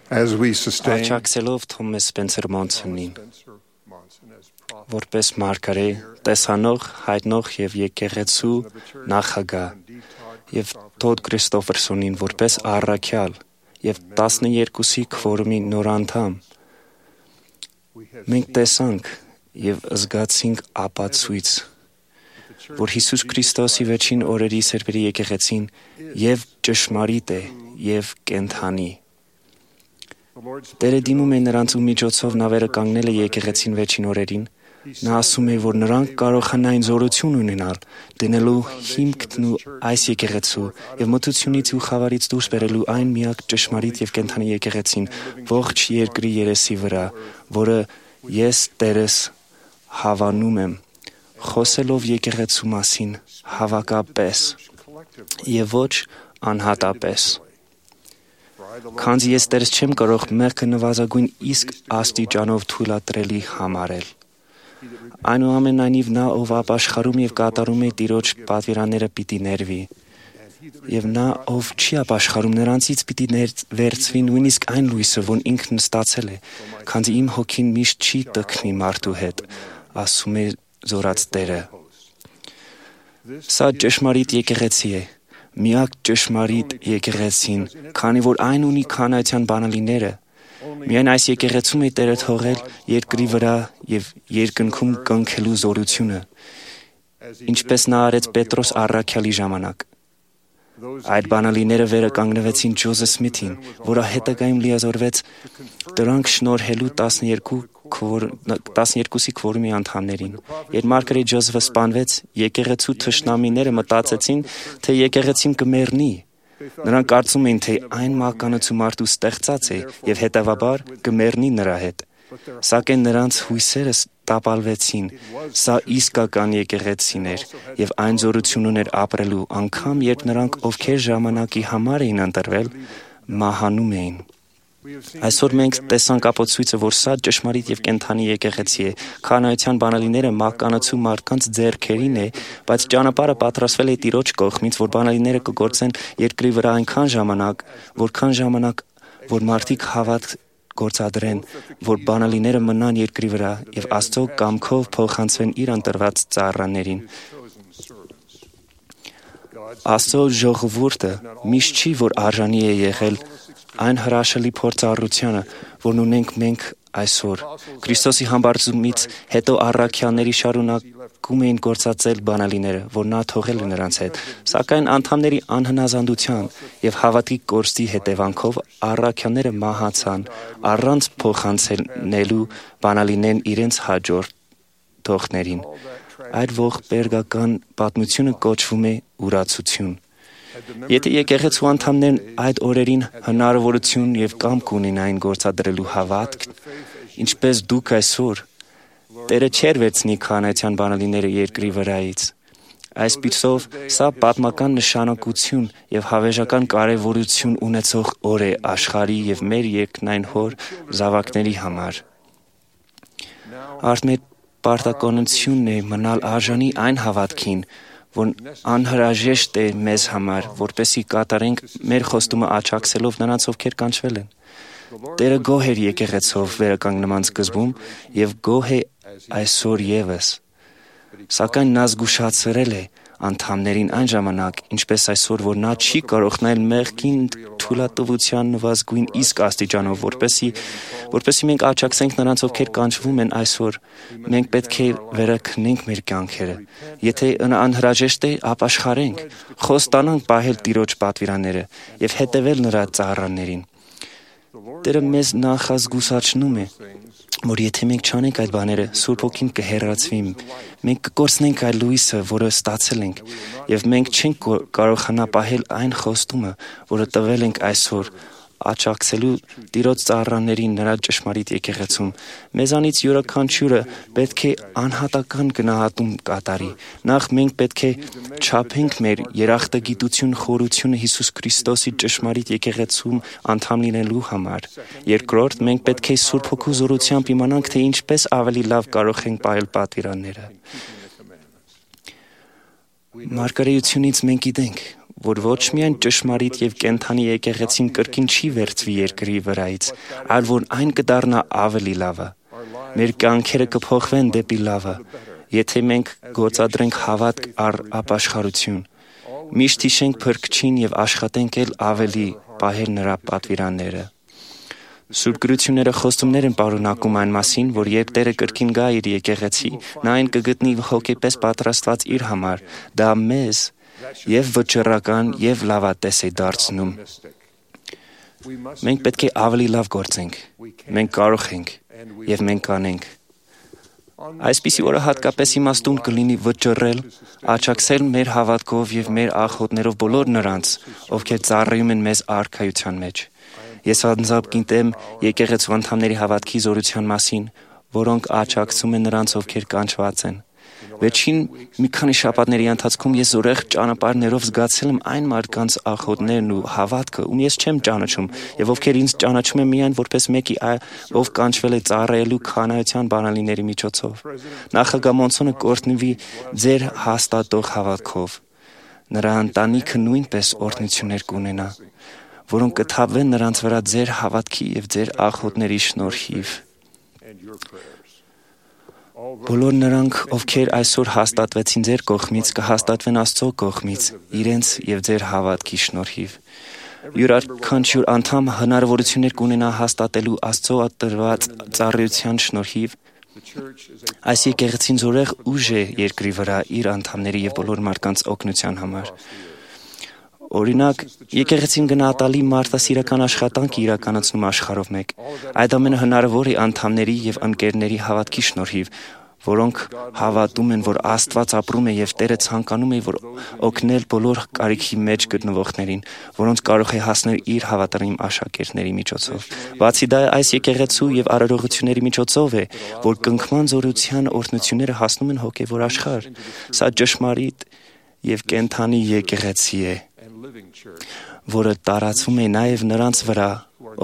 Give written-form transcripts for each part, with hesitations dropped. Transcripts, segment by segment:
as we sustain Աջակցելով Թոմաս Սպենսեր Մոնսոնին, որպես մարգարե, տեսանող, հայտնող եւ եկեղեցու նախագահ, եւ Թոդ Քրիստոֆերսոնին որպես առաքյալ եւ 12-ի քվորումի նոր անդամ, մենք տեսանք եւ զգացինք ապացույց, որ Հիսուս Քրիստոսի վերջին օրերի սերբերի եկեղեցին եւ ճշմարիտ է եւ կենդանի։ Տերը դիմում է նրանց ու միջոցով նա վերը կանգնել է եկեղեցին վերջին օրերին։ Նա ասում է, որ նրանք կարողանային զորություն ունենալ, դնելու հիմքն ու այս եկեղեցու եւ մտությունից ու խավարից դուրս բերելու այն միակ ճշմարիտ եւ կենդանի եկեղեցին ողջ երկրի երեսի վրա, որը ես Տերս հավանում եմ, խոսելով եկեղեցու մասին հավաքապես եւ ոչ անհատապես։ Քանզի ես Տերս չեմ կարող մեղքը նվազագույն իսկ աստիճանով թույլատրելի համարել։ Այնուամենայնիվ նա, ով ապաշխարում եւ կատարում է Տիրոջ պատվիրանները, պիտի ներվի։ Եվ նա, ով չի ապաշխարում, նրանցից պիտի վերցվի նույնիսկ այն լույսը, որ ինքն ստացել է, քանզի իմ հոգին միշտ չի տքնի մարդու հետ, ասում է զորած Տերը։ Սա ճշմարիտ եկեղեցի է, միակ ճշմարիտ եկեղեցին, քանի որ այն ունի քանայության բանալիները։ Միայն այս եկեղեցում է Տերը թողել երկրի վրա եւ երկնքում կնքելու զորությունը, ինչպես նա արեց Պետրոս առաքյալի ժամանակ։ Այդ բանալիները վերը կանգնվեցին Ջոզեֆ Սմիթին, որը հետագայում լիազորվեց դրանք շնորհելու 12-ի քվորումի անդամներին։ Երբ մարգարե Ջոզեֆը սպանվեց, եկեղեցու թշնամիները մտածեցին, թե եկեղեցին կմեռնի։ Նրանք կարծում էին, թե այն մականացու մարդու ստեղծած է եւ հետեւաբար կմեռնի նրա հետ։ Սակայն նրանց հույսերը տապալվեցին։ Սա իսկական եկեղեցին էր եւ այն զորություն ուներ ապրելու, անգամ երբ նրանք, ովքեր ժամանակի համար էին ընտրվել, մահանում էին։ Այսօր մենք տեսանք ապացույցը, որ սա ճշմարիտ եւ կենդանի եկեղեցի է։ Քանայության բանալիները մականացու մարդկանց ձեռքերին է, բայց ճանապարհը պատրաստվել է Տիրոջ կողմից, որ բանալիները կգործեն երկրի վրա այնքան ժամանակ, որ մարդիկ հավատ գործադրեն, որ բանալիները մնան երկրի վրա եւ Աստծո կամքով փոխանցվեն իր ընտրված ծառաներին։ Աստծո ժողովուրդը միշտ չի, որ արժանի է եղել այն հրաշալի փորձառությանը, որն ունենք մենք այսօր։ Քրիստոսի համբարձումից հետո առաքյալների շարունակում էին գործածել բանալիները, որ նա թողել է նրանց հետ, սակայն անդամների անհնազանդության եւ հավատքի կորստի հետևանքով առաքյալները մահացան առանց փոխանցելու բանալիներն իրենց հաջորդողներին։ Այդ ողբերգական պատմությունը կոչվում է ուրացություն։ Եթե եկեղեցու անդամներն այդ օրերին հնարավորություն եւ կամք ունենային գործադրելու հավատք, ինչպես դուք այսօր, Տերը չէր վերցնի քանայության բանալիները երկրի վրայից։ Այսպիսով, սա պատմական նշանակություն եւ հավերժական կարեւորություն ունեցող օր է աշխարհի եւ մեր երկնային Հոր զավակների համար։ Արդ մեր պարտականությունն է մնալ արժանի այն հավատքին, որ անհրաժեշտ է մեզ համար, որպեսզի կատարենք մեր խոստումը աջակցելով նրանց, ովքեր կանչվել են։ Տերը գոհ էր եկեղեցով վերականգնման սկզբում եւ գոհ է այսօր եւս։ Սակայն նա զգուշացրել է անդամներին այն ժամանակ, ինչպես այսօր, որ նա չի կարող նայել մեղքին թույլատվության նվազագույն իսկ աստիճանով, որպեսզի մենք աջակցենք նրանց, ովքեր կանչվում են այսօր։ Մենք պետք է վերաքնենք մեր կյանքերը։ Եթե անհրաժեշտ է, ապաշխարենք, խոստանանք պահել Տիրոջ պատվիրանները եւ հետևել նրա ծառաներին։ Տերը մեզ նախազգուշացնում է, որ եթե մենք չանենք այդ բաները, Սուրբ Հոգին կհեռացվի, մենք կկորցնենք այդ լույսը, որը ստացել ենք, եւ մենք չենք կարողանա պահել այն խոստումը, որը տվել ենք այսօր, աջակցելու Տիրոջ ծառաներին նրա ճշմարիտ եկեղեցում։ Մեզանից յուրաքանչյուրը պետք է անհատական գնահատում կատարի։ Նախ մենք պետք է չափենք մեր երախտագիտություն խորությունը Հիսուս Քրիստոսի ճշմարիտ եկեղեցում անդամ լինելու համար։ Երկրորդ, մենք պետք է Սուրբ Հոգու զորությամբ իմանանք, թե ինչպես ավելի լավ կարող ենք պահել պատվիրանները։ Մարգարեությունից մենք գիտենք, որ ոչ միայն ճշմարիտ եւ կենդանի եկեղեցին կրկին չի վերցվի երկրի վրայից, այլ որ այն կդառնա ավելի լավը։ Մեր կյանքերը կփոխվեն դեպի լավը, եթե մենք գործադրենք հավատք առ ապաշխարություն։ Միշտ հիշենք Փրկչին եւ աշխատենք էլ ավելի պահել նրա պատվիրանները։ Սուրբ գրությունները խոստումներ են պարունակում այն մասին, որ երբ Տերը կրկին գա իր եկեղեցի, նա այն կգտնի հոգեպես պատրաստված իր համար, դա մեզ եւ վճռական եւ լավատես է դարձնում։ Մենք պետք է ավելի լավ գործենք, մենք կարող ենք եւ մենք կանենք։ Այսպիսի օրը հատկապես իմաստուն կլինի վճռել, աջակցել մեր հավատքով եւ մեր աղոթներով բոլոր նրանց, ովքեր ծառայում են մեզ արքայության մեջ։ Ես անձամբ գիտեմ եկեղեցու անդամների հավատքի զորության մասին, որոնք աջակցում են նրանց, ովքեր կանչված են։ Վերջին մի քանի շաբաթների ընթացքում ես զորեղ ճանապարհներով զգացել եմ այն մարդկանց աղոթներն ու հավատքը, ում ես չեմ ճանաչում, եւ ովքեր ինձ ճանաչում են միայն որպես մեկի, ով կանչվել է ծառայելու քանայության բանալիների միջոցով։ Նախագահ Մոնսոնը կօրհնվի ձեր հաստատող հավատքով։ Նրա ընտանիքը նույնպես օրհնություններ կունենա, որոնք կթափվեն նրանց վրա ձեր հավատքի եւ ձեր աղոթների շնորհիվ։ Բոլոր նրանք, ովքեր այսօր հաստատվեցին ձեր կողմից, կհաստատվեն Աստծո կողմից, իրենց եւ ձեր հավատքի շնորհիվ։ Յուրաքանչյուր անդամ հնարավորություններ կունենա հաստատելու Աստծո տրված ծառայության շնորհիվ։ Այս եկեղեցին զորեղ ուժ է երկրի վրա իր անդամների եւ բոլոր մարդկանց օգնության համար։ Օրինակ, եկեղեցին գնահատալի մարդասիրական աշխատանք իրականացնում աշխարհով մեկ։ Այդ ամենը հնարավոր է անդամների եւ ընկերների հավատքի շնորհիվ, որոնք հավատում են, որ Աստված ապրում է եւ Տերը ցանկանում է օգնել բոլոր կարիքի մեջ գտնվողներին, որոնց կարող է հասնել իր հավատարիմ աշակերտների միջոցով։ Բացի դա, այս եկեղեցու եւ արարողությունների միջոցով է, որ կնքման զորության օրհնությունները հասնում են հոգեվոր աշխարհ։ Սա ճշմարիտ եւ կենդանի եկեղեցի է, որը տարածվում է նաև նրանց վրա,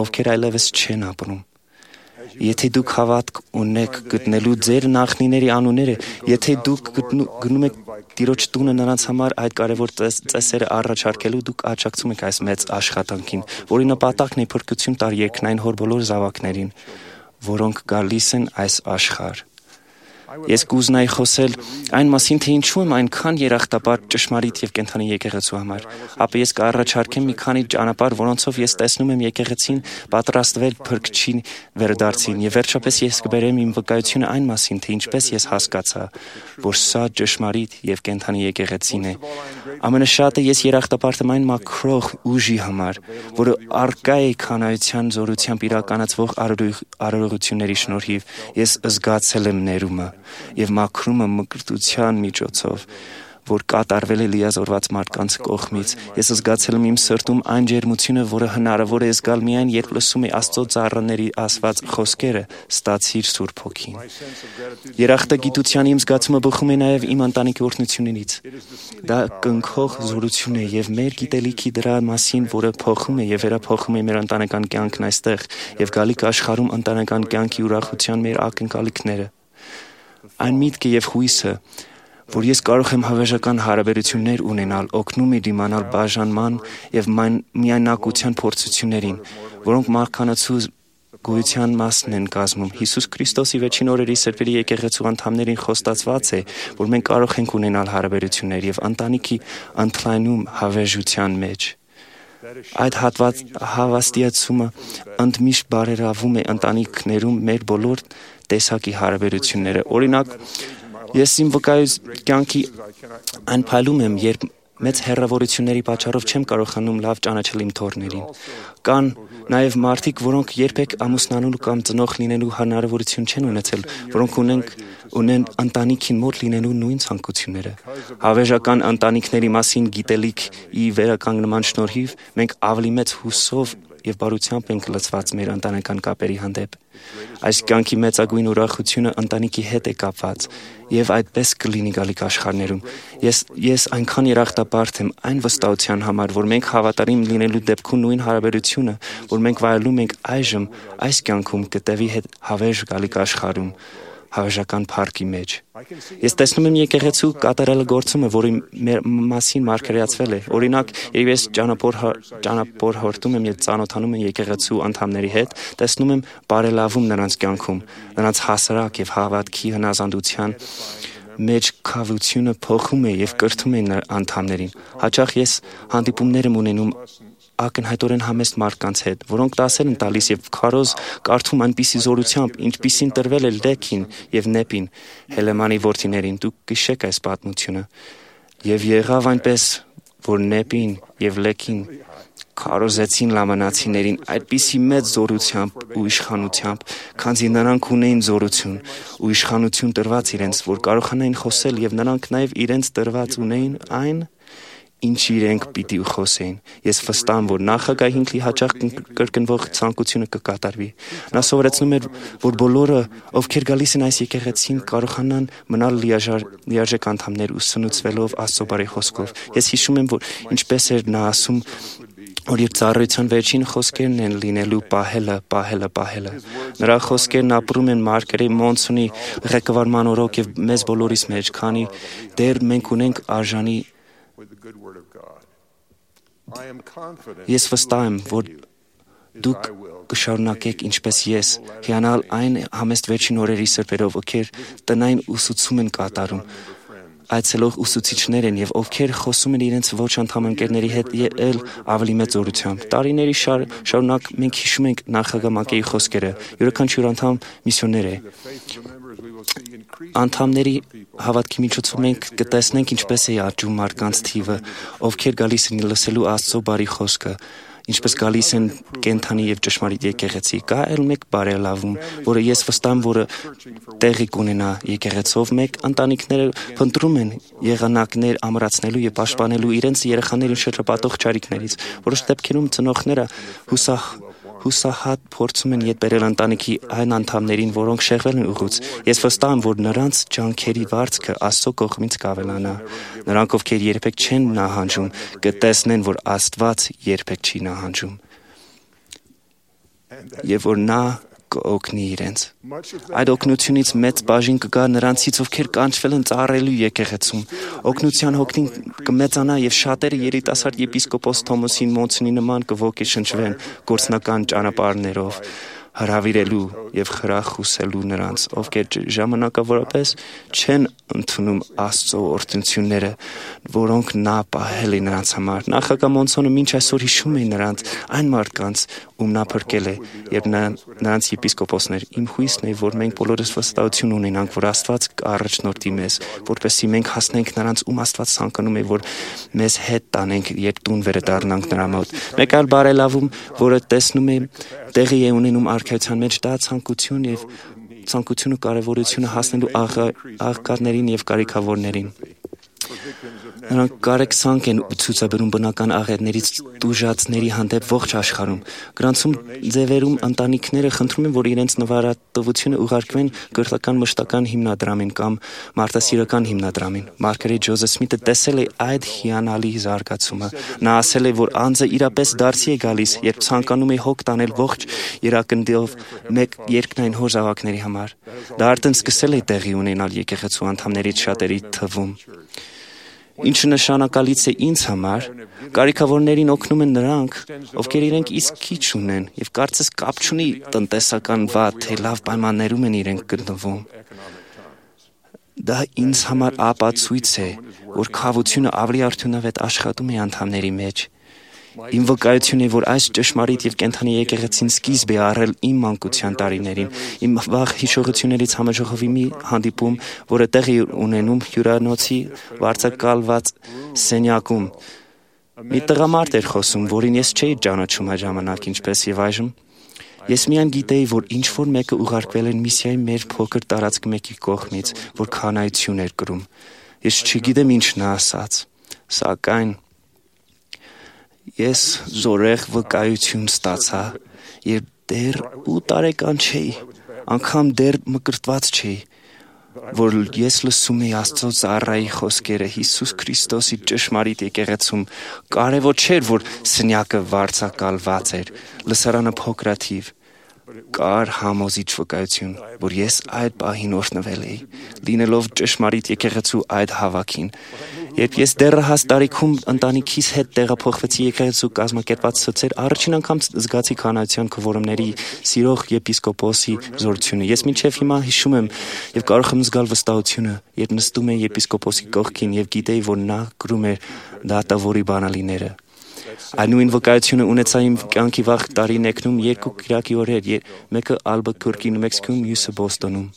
ովքեր այլևս չեն ապրում։ Եթե դուք հավատք ունեք գտնելու ձեր նախնիների անունները, եթե դուք գնում եք Տիրոջ տունը նրանց համար այդ կարևոր ծեսերը առաջարկելու, դուք աջակցում եք այս մեծ աշխատանքին, որի նպատակն է փրկություն տալ երկնային Հոր բոլոր զավակներին, որոնք գալիս են այս աշխարհ։ Ես կուզենայի խոսել այն մասին, թե ինչու եմ այնքան երախտապար ճշմարիտ եւ կենդանի եկեղեցու համար։ Ապա ես կառաջարկեմ մի քանի ճանապարհ, որոնցով ես տեսնում եմ եկեղեցին պատրաստվել Փրկչին վերադարձին, եւ վերջապես ես կբերեմ իմ վկայությունը այն մասին, թե ինչպես ես հասկացա, որ սա ճշմարիտ եւ կենդանի եկեղեցին է։ Ամենաշատը ես երախտապարտ եմ այն մաքրող ուժի համար, որը արկա է քանայության զորությամբ իրականացվող արարողությունների շնորհիվ։ Ես զգացել եմ ներումը եւ մաքրումը մկրտության միջոցով, որ կատարվել է լիազորված մարդկանց կողմից։ Ես զգացել եմ իմ սրտում այն ջերմությունը, որը հնարավոր է զգալ միայն երբ լսում եմ Աստծո ծառաների ասված խոսքերը՝ «Ստացիր Սուրբ Հոգին»։ Երախտագիտության իմ զգացումը բխում է նաև իմ ընտանիքի օրհնություններից։ Դա կնքող զորություն է եւ մեր գիտելիքի դրա մասին, որը փոխում է եւ վերափոխում է մեր ընտանեկան կյանքն այստեղ եւ գալիք աշխարհում ընտանեկան կյանքի ուրախության մեր ակնկալիքները։ Այն միտքը եւ հույսը, որ ես կարող եմ հավերժական հարաբերություններ ունենալ, օգնում է դիմանալ բաժանման եւ միայնակության փորձություններին, որոնք մարդկանցու գոյության մասն են կազմում։ Հիսուս Քրիստոսի վերջին օրերի սրբերի եկեղեցու անդամներին խոստացված է, որ մենք կարող ենք ունենալ հարաբերություններ եւ ընտանիքի ընդլայնում հավերժության մեջ։ Այդ հավաստիացումը ընդմիշտ բարերավում է ընտանիքներում մեր բոլոր տեսակի հարաբերությունները։ Օրինակ, ես իմ վկայության կյանքի այն փայլում եմ, երբ մեծ հեռավորությունների պատճառով չեմ կարողանում լավ ճանաչել իմ թոռներին։ Կան նաև մարդիկ, որոնք երբեք ամուսնանալու կամ ծնող լինելու հնարավորություն չեն ունեցել, որոնք ունեն ընտանիքին մոտ լինելու նույն ցանկությունները։ Հավերժական ընտանիքների մասին գիտելիքի վերականգնման շնորհիվ մենք ավելի մեծ հուսով եւ բարությամբ ենք լցված մեր ընտանեկան կապերի հանդեպ։ Այս կյանքի մեծագույն ուրախությունը ընտանիքի հետ է կապված եւ այդպես կլինի գալիք աշխարհներում։ Ես այնքան երախտապարտ եմ այն վստահության համար, որ մենք հավատարիմ լինելու դեպքում նույն հարաբերությունը, որ մենք վայելում ենք այժմ այս կյանքում, կտևի հետ հավերժ գալիք աշխարհում։ հավերժական փառքի մեջ։ Ես տեսնում եմ եկեղեցու կատարյալ գործումը, որի մասին մարգարեացվել է։ Օրինակ, երբ ես ճանապարհորդում եմ եւ ծանոթանում եմ եկեղեցու անդամների հետ, տեսնում եմ բարելավում նրանց կյանքում, նրանց հասարակ եւ հավատքի հնազանդության մեջ քավությունը փոխում է եւ կրթում է անդամներին։ Հաճախ ես հանդիպումներ եմ ունենում ակնհայտորեն համեստ մարդկանց հետ, որոնք դասեր են տալիս եւ քարոզ կարդում այնպիսի զորությամբ, ինչպիսին տրվել է Լեքին եւ Նեպին, Հելեմանի որդիներին։ Դուք գիշեք այս պատմությունը։ Եվ եղավ այնպես, որ Նեպին եւ Լեքին քարոզեցին լամանացիներին այդպիսի մեծ զորությամբ ու իշխանությամբ, քանզի նրանք ունեին զորություն ու իշխանություն տրված իրենց, որ կարողանային խոսել եւ նրանք նաեւ իրենց տրված ունեին այն, ինչ իրենք պիտի խոսեին։ Ես վստահ եմ, որ նախագահին հաճախ կրկնվող ցանկությունը կկատարվի։ Նա սովորեցնում էր, որ բոլորը, ովքեր գալիս են այս եկեղեցին, կարողանան մնալ լիարժեք անդամներ ու սնուցվելով Աստծո բարի խոսքով։ Ես հիշում եմ, որ ինչպես էր նա ասում, որ իր ծառայության վերջին խոսքերն են լինելու պահելը։ Նրա խոսքերն ապրում են Մարգարեի Մոնսոնի ղեկավարման օրոք եւ մեզ բոլորիս մեջ, քանի դեռ մենք ունենք արժանի Ես վստահ եմ, որ դուք կշարունակեք ինչպես ես, հիանալ այն համեստ վերջին օրերի սրբերով, ովքեր տնային ուսուցում են կատարում, այցելող ուսուցիչներ են եւ ովքեր խոսում են իրենց ոչ անդամ ընկերների հետ ել ավելի մեծ զորությամբ։ Տարիների շարունակ մենք հիշում ենք նախագահ Մակեի խոսքերը, յուրաքանչյուր անդամ միսիոներ է։ Անդամների հավատքի միջոցով մենք կտեսնենք ինչպես է աճում մարդկանց թիվը, ովքեր գալիս են լսելու Աստծո բարի խոսքը, ինչպես գալիս են կենդանի եւ ճշմարիտ եկեղեցի։ Կա այլ մեկ բարելավում, որը ես վստահ եմ, որը տեղի կունենա եկեղեցով, մեկ ընտանիքները փնտրում են եղանակներ ամրացնելու եւ պաշտպանելու իրենց երեխաներին շրջապատող ճարիքներից։ Որոշ դեպքերում ծնողները հուսահատ փորձում են ետ բերել ընտանիքի այն անդամներին, որոնք շեղվել են ուղուց։ Ես վստահ եմ, որ նրանց ջանքերի վարձքը Աստծո կողմից կավելանա։ Նրանք, ովքեր երբեք չեն նահանջում, կտեսնեն, որ Աստված երբեք չի նահանջում եւ որ նա կօգնի իրենց։ Այդ օգնությունից մեծ բաժին կգա նրանցից, ովքեր կանչվել են ծառայելու եկեղեցում։ Օգնության հոգին կմեծանա եւ շատերը երիտասարդ եպիսկոպոս Թոմասին Մոնսոնի նման կողքեշնչվեն գործնական ճանապարհներով, հրավիրելու եւ խրախուսելու նրանց, ովքեր ժամանակավորապես չեն ընդունում Աստծո օրհնությունները, որոնք նա պահել է նրանց համար։ Նախագահ Մոնսոնը մինչ այսօր հիշում է նրանց, այն մարդկանց, ում նա փրկել է, երբ նրանց եպիսկոպոսներ։ Իմ հույսն է, որ մենք բոլորս վստահություն ունենանք, որ Աստված կառաջնորդի մեզ, որպեսզի մենք հասնենք նրանց, ում Աստված ցանկանում է, որ մեզ հետ տանենք, երբ տուն վերադառնանք նրա մոտ։ Մեկ այլ բարելավում, որը տեսնում է տեղի է ունենում արքայության մեջ, դա ցանկությունը կարևորությունը հասնելու աղքատներին եւ կարիքավորներին։ Նրանք կարեկցանք են ցուցաբերում բնական աղետներից տուժածների հանդեպ ողջ աշխարհում։ Գրանցում ձևերում ընտանիքները խնդրում են, որ իրենց նվիրատվությունը ուղարկվեն կրթական մշտական հիմնադրամին կամ մարդասիրական հիմնադրամին։ Մարգարետ Ջոզեֆ Սմիթը տեսել է այդ հիանալի զարգացումը։ Նա ասել է, որ անձը իրապես դարձի է գալիս, երբ ցանկանում է հոգ տանել ողջ երակնդով մեկ երկնային հոր զավակների համար։ Դա արդեն սկսել է տեղի ունենալ եկեղեցու անդամներից շատերի թվում։ Ինչը նշանակալից է ինձ համար, կարիքավորներին օգնում են նրանք, ովքեր իրենք իսկ քիչ ունեն եւ կարծես կապ չունի տնտեսական վատ թե լավ պայմաններում են իրենք գտնվում։ Դա ինձ համար ապացույց է, որ քավությունը ավելի արդյունավետ աշխատում է անդամների մեջ։ Իմ վկայությունն է, որ այս ճշմարիտ եւ կենդանի եկեղեցին սկիզբ է առել իմ մանկության տարիներին։ Իմ վաղ հիշողություններից համաժողովի մի հանդիպում, որը տեղի ունենում հյուրանոցի վարձակալված սենյակում։ Մի տղամարդ էր խոսում, որին ես չէի ճանաչում այդ ժամանակ, ինչպես եւ այժմ։ Ես միայն գիտեի, որ ինչ-որ մեկը ուղարկվել են միսիայի մեր փոքր տարածք մեկի կողմից, որ քանայություն էր կրում։ Ես չգիտեմ ինչ նա ասաց, սակայն ես զորեղ վկայություն ստացա, երբ դեռ 8 տարեկան չէի, անգամ դեռ մկրտված չէի, որ ես լսում էի Աստծո ծառայի խոսքերը Հիսուս Քրիստոսի ճշմարիտ եկեղեցում։ Կարևոր չէր, որ սենյակը վարձակալված էր, լսարանը փոքրաթիվ, կար համոզիչ վկայություն, որ ես այդ պահին օրհնվել էի, լինելով ճշմարիտ եկեղեցու այդ հավաքին։ Երբ ես դեռահաս տարիքում ընտանիքիս հետ տեղափոխվեցի եկեղեցու կազմակերպած ցույցեր, առաջին անգամ զգացի քահանայության քվորումների սիրող եպիսկոպոսի զորությունը։ Ես մինչև հիմա հիշում եմ եւ կարող եմ զգալ վստահությունը, երբ նստում էի եպիսկոպոսի կողքին եւ գիտեի, որ նա գրում էր դատավորի բանալիները։ Այդ նույն վկայությունը ունեցա իմ կյանքի վաղ տարիներում երկու կիրակի օրեր, մեկը Ալբուկերկում, Մեքսիկոյում, մյուսը Բոստոնում։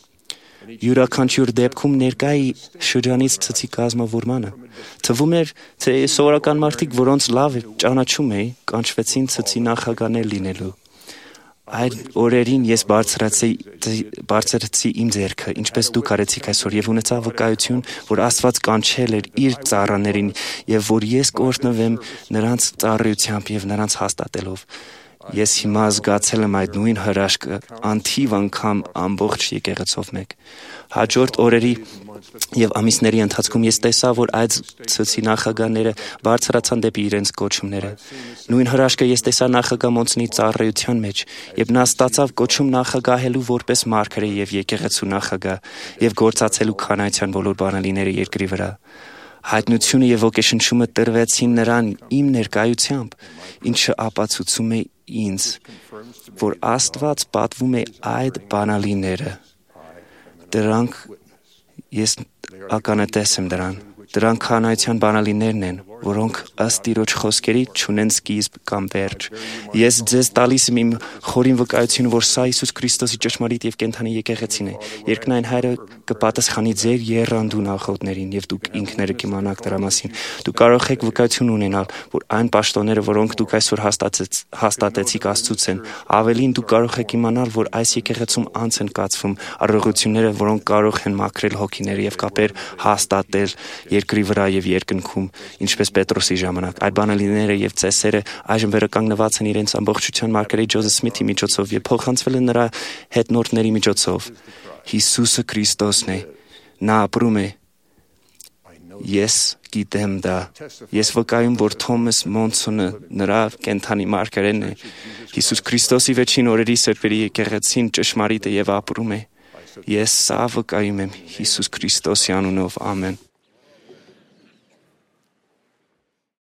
Յուրաքանչյուր դեպքում ներկա էի շրջանից ցցի կազմավորմանը։ Թվում էր, թե սովորական մարդիկ, որոնց լավ ճանաչում էի, կանչվեցին ցցի նախագաներ լինելու։ Այդ օրերին ես բարձրացի իմ ձեռքը, ինչպես դուք արեցիք այսօր, եւ ունեցա վկայություն, որ Աստված կանչել էր իր ծառաներին եւ որ ես կօրհնվեմ նրանց ծառայությամբ եւ նրանց հաստատելով։ Ես հիմա զգացել եմ այդ նույն հրաշքը անթիվ անգամ ամբողջ եկեղեցով մեկ։ Հաջորդ օրերի եւ ամիսների ընթացքում ես տեսա, որ այդ ցցի նախագաները բարձրացան դեպի իրենց կոչումները։ Նույն հրաշքը ես տեսա նախագահ Մոնսոնի ծառայության մեջ, եւ նա ստացավ կոչում նախագահելու որպես մարգարե եւ եկեղեցու նախագահ եւ գործածելու քահանայության բոլոր բանալիները երկրի վրա։ Հայտնությունը եւ ոգեշնչումը տրվեցին նրան իմ ներկայությամբ, ինչը ապացուցում է ինձ, որ Աստված պատվում է այդ բանալիները։ Դրանք ես ականատես եմ դրան։ Դրանք քահանայության բանալիներն են, որոնք ըստ Տիրոջ խոսքերի չունեն սկիզբ կամ վերջ։ Ես ձեզ տալիս եմ իմ խորին վկայությունը, որ սա Հիսուս Քրիստոսի ճշմարիտ եւ կենդանի եկեղեցին է։ Երկնային Հայրը կպատասխանի ձեր եռանդուն աղոթներին եւ դուք ինքներդ կիմանաք դրա մասին։ Դուք կարող եք վկայություն ունենալ, որ այն պաշտոնները, որոնք դուք այսօր հաստատեցիք Աստծուց են, ավելին դուք կարող եք իմանալ, որ այս եկեղեցում անց են կացվում առողջությունները, որոնք կարող են մաքրել հոգիները եւ կապեր հաստատել երկրի վրա եւ երկնքում, ինչպես Պետրոսի ժամանակ։ Այդ բանալիները եւ ծեսերը այժմ վերականգնված են իրենց ամբողջության մարգարեի Ջոզեֆ Սմիթի միջոցով եւ փոխանցվել են նրա հետնորդների միջոցով։ Հիսուսը Քրիստոսն է։ Նա ապրում է։ Ես գիտեմ դա։ Ես վկայում, որ Թոմաս Մոնսոնը նրա կենդանի մարգարեն է։ Հիսուս Քրիստոսի վերջին օրերի սրբերի եկեղեցին ճշմարիտ է եւ ապրում է։ Ես սա վկայում եմ Հիսուս Քրիստոսի անունով։ Ամեն։